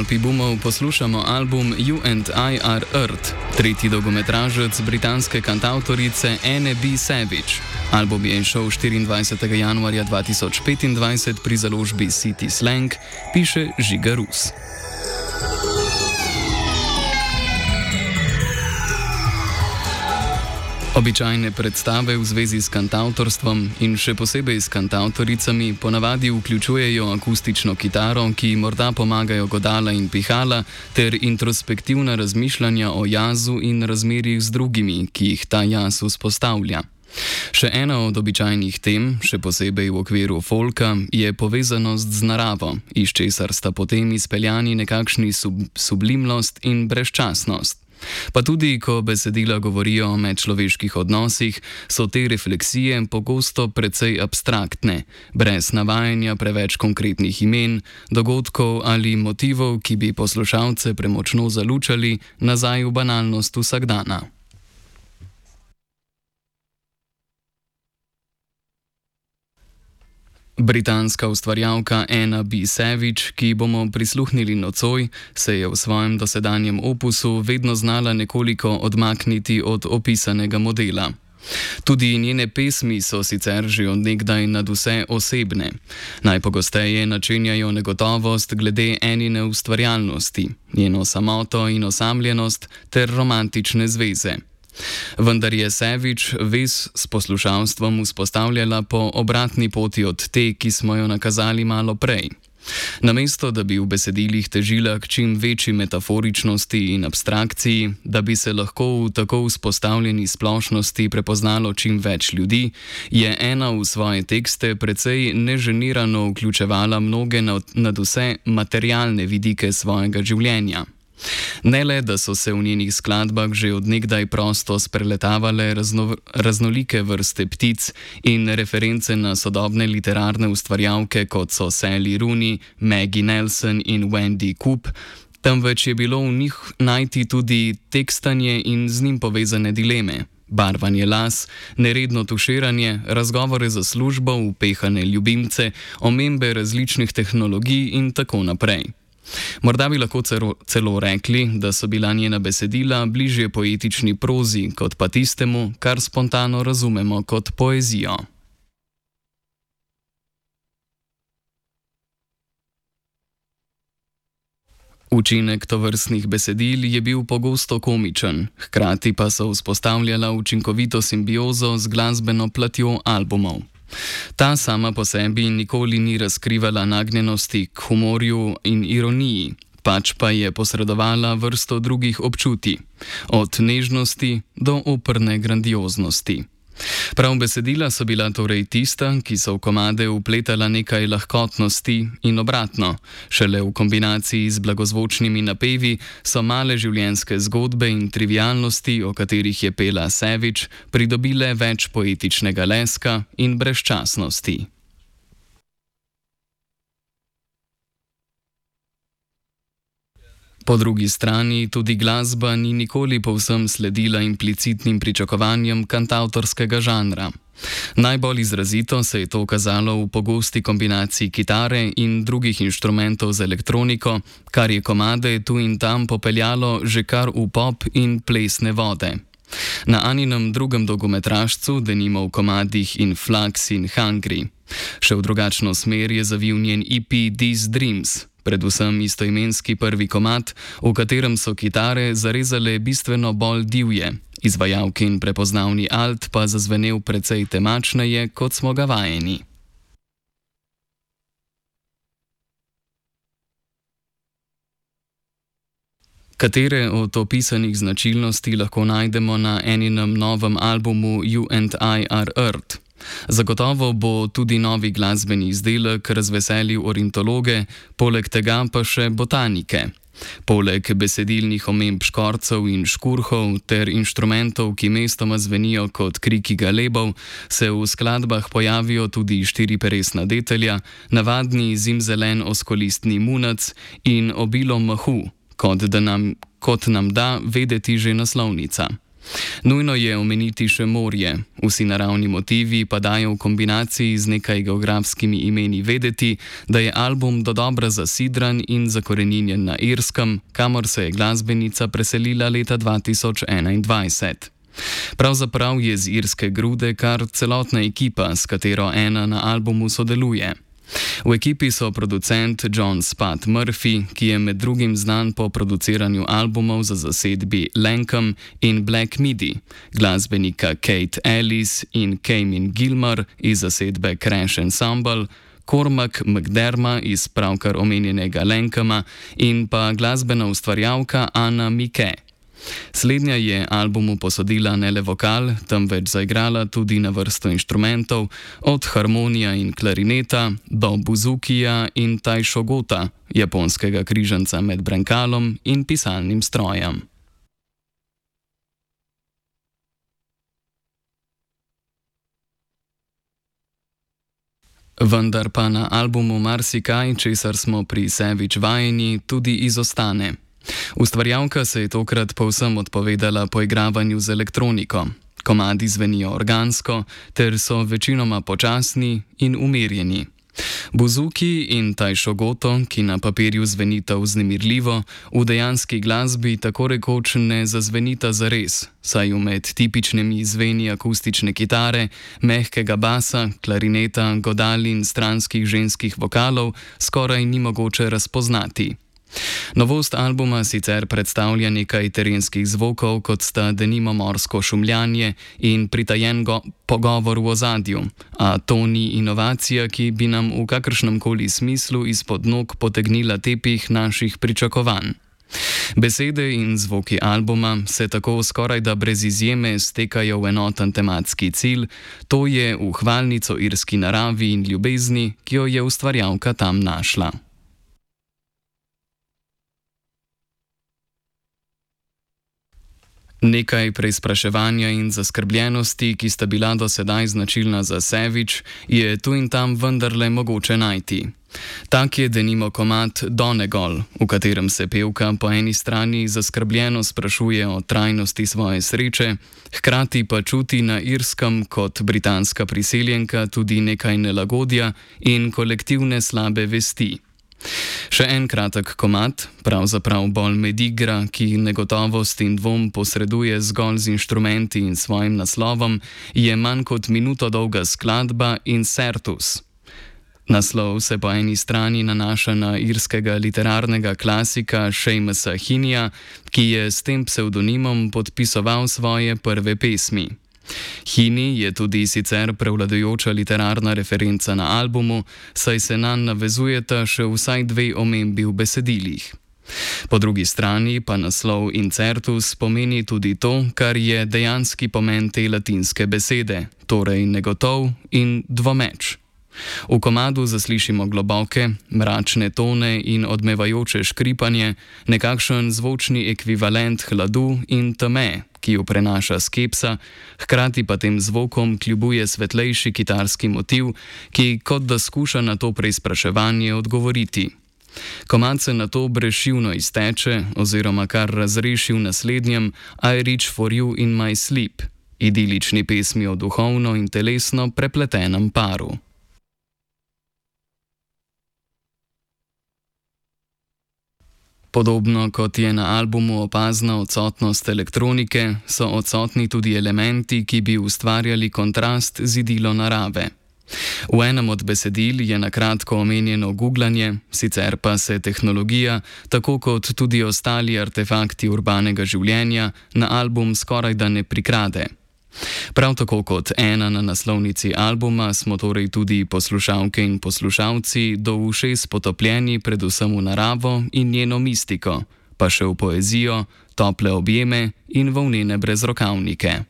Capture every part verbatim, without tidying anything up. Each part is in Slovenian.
Stolpi bumov poslušamo album You and I Are Earth, tretji dolgometražec britanske kantavtorice Anne B. Savage. Album je izšel štiriindvajsetega januarja dva tisoč petindvajset pri založbi City Slang, piše Žiga Rus. Običajne predstave v zvezi s kantavtorstvom in še posebej s kantavtoricami ponavadi vključujejo akustično kitaro, ki morda pomagajo godala in pihala, ter introspektivna razmišljanja o jazu in razmerjih z drugimi, ki jih ta jaz vzpostavlja. Še ena od običajnih tem, še posebej v okviru folka, je povezanost z naravo, iz česar sta potem izpeljani nekakšni sub sublimnost in brezčasnost. Pa tudi, ko besedila govorijo o medčloveških odnosih, so te refleksije pogosto precej abstraktne, brez navajanja preveč konkretnih imen, dogodkov ali motivov, ki bi poslušalce premočno zalučali nazaj v banalnost vsakdana. Britanska ustvarjalka Anna B. Savage, ki bomo prisluhnili nocoj, se je v svojem dosedanjem opusu vedno znala nekoliko odmakniti od opisanega modela. Tudi njene pesmi so sicer že od nekdaj nadvse osebne. Najpogosteje načenjajo negotovost glede Annine ustvarjalnosti, njeno samoto in osamljenost ter romantične zveze. Vendar je Savage vez s poslušalstvom vzpostavljala po obratni poti od te, ki smo jo nakazali malo prej. Namesto, da bi v besedilih težila k čim večji metaforičnosti in abstrakciji, da bi se lahko v tako vzpostavljeni splošnosti prepoznalo čim več ljudi, je ena v svoje tekste precej neženirano vključevala mnoge nadvse materialne vidike svojega življenja. Ne le, da so se v njenih skladbah že od nekdaj prosto spreletavale razno, raznolike vrste ptic in reference na sodobne literarne ustvarjalke, kot so Sally Rooney, Maggie Nelson in Wendy Coop, temveč je bilo v njih najti tudi tekstanje in z njim povezane dileme, barvanje las, neredno tuširanje, razgovore za službo, upehane ljubimce, omembe različnih tehnologij in tako naprej. Morda bi lahko celo, celo rekli, da so bila njena besedila bližje poetični prozi, kot pa tistemu, kar spontano razumemo kot poezijo. Učinek tovrstnih besedil je bil pogosto komičen, hkrati pa so vzpostavljala učinkovito simbiozo z glasbeno platjo albumov. Ta sama po sebi nikoli ni razkrivala nagnjenosti k humorju in ironiji, pač pa je posredovala vrsto drugih občutij, od nežnosti do operne grandioznosti. Prav besedila so bila torej tista, ki so v komade vpletala nekaj lahkotnosti in obratno, šele v kombinaciji z blagozvočnimi napevi so male življenjske zgodbe in trivialnosti, o katerih je pela Savage, pridobile več poetičnega leska in brezčasnosti. Po drugi strani tudi glasba ni nikoli povsem sledila implicitnim pričakovanjem kantavtorskega žanra. Najbolj izrazito se je to kazalo v pogosti kombinaciji kitare in drugih inštrumentov z elektroniko, kar je komade tu in tam popeljalo že kar v pop in plesne vode. Na Anninem drugem dolgometražcu, denimo v komadih In Flux in Hungry. Še v drugačno smer je zavil njen E P These Dreams, predvsem istoimenski prvi komad, v katerem so kitare zarezale bistveno bolj divje, izvajalkin prepoznavni alt pa zazvenel precej temačneje, kot smo ga vajeni. Katere od opisanih značilnosti lahko najdemo na Anninem novem albumu You and I Are Earth? Zagotovo bo tudi novi glasbeni izdelek razveselil ornitologe, poleg tega pa še botanike. Poleg besedilnih omemb škorcev in škurhov ter inštrumentov, ki mestoma zvenijo kot kriki galebov, se v skladbah pojavijo tudi štiriperesna detelja, navadni zimzelen oskolistni munac in obilo mahu, kot, da nam, kot nam da vedeti že naslovnica. Nujno je omeniti še morje. Vsi naravni motivi pa dajo v kombinaciji z nekaj geografskimi imeni vedeti, da je album dodobra zasidran in zakoreninjen na Irskem, kamor se je glasbenica preselila leta dva tisoč enaindvajset. Pravzaprav je z irske grude kar celotna ekipa, s katero ena na albumu sodeluje. V ekipi so producent John Spud Murphy, ki je med drugim znan po produciranju albumov za zasedbi Lankum in Black Midi, glasbenika Kate Ellis in Kamin Gilmore iz zasedbe Crash Ensemble, Cormac McDermott iz pravkar omenjenega Lankuma in pa glasbena ustvarjalka Anna Mike. Slednja je albumu posodila ne le vokal, temveč zaigrala tudi na vrsto inštrumentov, od harmonija in klarineta do buzukija in tajšogota, japonskega križanca med brankalom in pisalnim strojem. Vendar pa na albumu marsikaj, česar smo pri Savage vajeni, tudi izostane. Ustvarjalka se je tokrat povsem odpovedala poigravanju z elektroniko. Komadi zvenijo organsko, ter so večinoma počasni in umirjeni. Buzuki in tajšogoto, ki na papirju zvenita vznemirljivo, v dejanski glasbi tako rekoč ne zazvenita zares, saj med tipičnimi zveni akustične kitare, mehkega basa, klarineta, godal in stranskih ženskih vokalov skoraj ni mogoče razpoznati. Novost albuma sicer predstavlja nekaj terenskih zvokov, kot sta denimo morsko šumljanje in pritajen go- pogovor v ozadju, a to ni inovacija, ki bi nam v kakršnemkoli smislu izpod nog potegnila tepih naših pričakovanj. Besede in zvoki albuma se tako skoraj da brez izjeme stekajo v enoten tematski cilj, to je v hvalnico irski naravi in ljubezni, ki jo je ustvarjalka tam našla. Nekaj preizpraševanja in zaskrbljenosti, ki sta bila do sedaj značilna za Savage, je tu in tam vendarle mogoče najti. Tak je denimo komad Donegal, v katerem se pevka po eni strani zaskrbljeno sprašuje o trajnosti svoje sreče, hkrati pa čuti na Irskem kot britanska priseljenka tudi nekaj nelagodja in kolektivne slabe vesti. Še en kratek komad, pravzaprav bolj medigra, ki negotovost in dvom posreduje zgolj z inštrumenti in svojim naslovom, je manj kot minuto dolga skladba Incertus. Naslov se po eni strani nanaša na irskega literarnega klasika Seamusa Heaneyja, ki je s tem psevdonimom podpisoval svoje prve pesmi. Heaney je tudi sicer prevladujoča literarna referenca na albumu, saj se nanj navezujeta še vsaj dve omembi v besedilih. Po drugi strani pa naslov Incertus pomeni tudi to, kar je dejanski pomen te latinske besede, torej negotov in dvomeč. V komadu zaslišimo globoke, mračne tone in odmevajoče škripanje, nekakšen zvočni ekvivalent hladu in teme, ki jo prenaša skepsa, hkrati pa tem zvokom kljubuje svetlejši kitarski motiv, ki kot da skuša na to preizpraševanje odgovoriti. Komad se na to brezšivno izteče oziroma kar razreši v naslednjem I reach for you in my sleep, idilični pesmi o duhovno in telesno prepletenem paru. Podobno kot je na albumu opazna odsotnost elektronike, so odsotni tudi elementi, ki bi ustvarjali kontrast z idilo narave. V enem od besedil je na kratko omenjeno googlanje, sicer pa se tehnologija, tako kot tudi ostali artefakti urbanega življenja, na album skoraj da ne prikrade. Prav tako kot ena na naslovnici albuma smo torej tudi poslušalke in poslušalci do ušes potopljeni predvsem v naravo in njeno mistiko, pa še v poezijo, tople objeme in volnene brezrokavnike.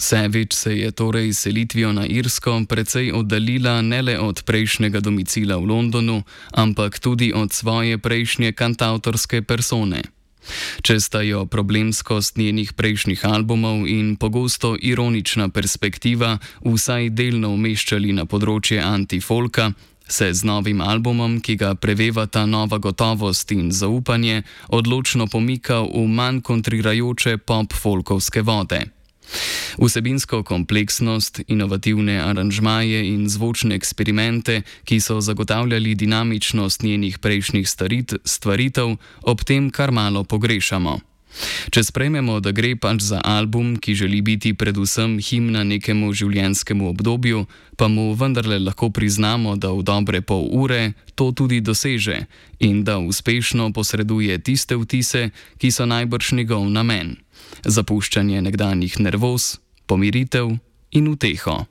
Savage se je torej s selitvijo na Irsko precej oddaljila ne le od prejšnjega domicila v Londonu, ampak tudi od svoje prejšnje kantavtorske persone. Če sta jo problemskost njenih prejšnjih albumov in pogosto ironična perspektiva vsaj delno umeščali na področje antifolka, se z novim albumom, ki ga prevevata nova gotovost in zaupanje, odločno pomika v manj kontrirajoče pop-folkovske vode. Vsebinsko kompleksnost, inovativne aranžmaje in zvočne eksperimente, ki so zagotavljali dinamičnost njenih prejšnjih starit, stvaritev, ob tem kar malo pogrešamo. Če sprejmemo, da gre pač za album, ki želi biti predvsem himna nekemu življenjskemu obdobju, pa mu vendarle lahko priznamo, da v dobre pol ure to tudi doseže in da uspešno posreduje tiste vtise, ki so najbrž njegov namen: zapuščanje nekdanjih nervoz, pomiritev in uteho.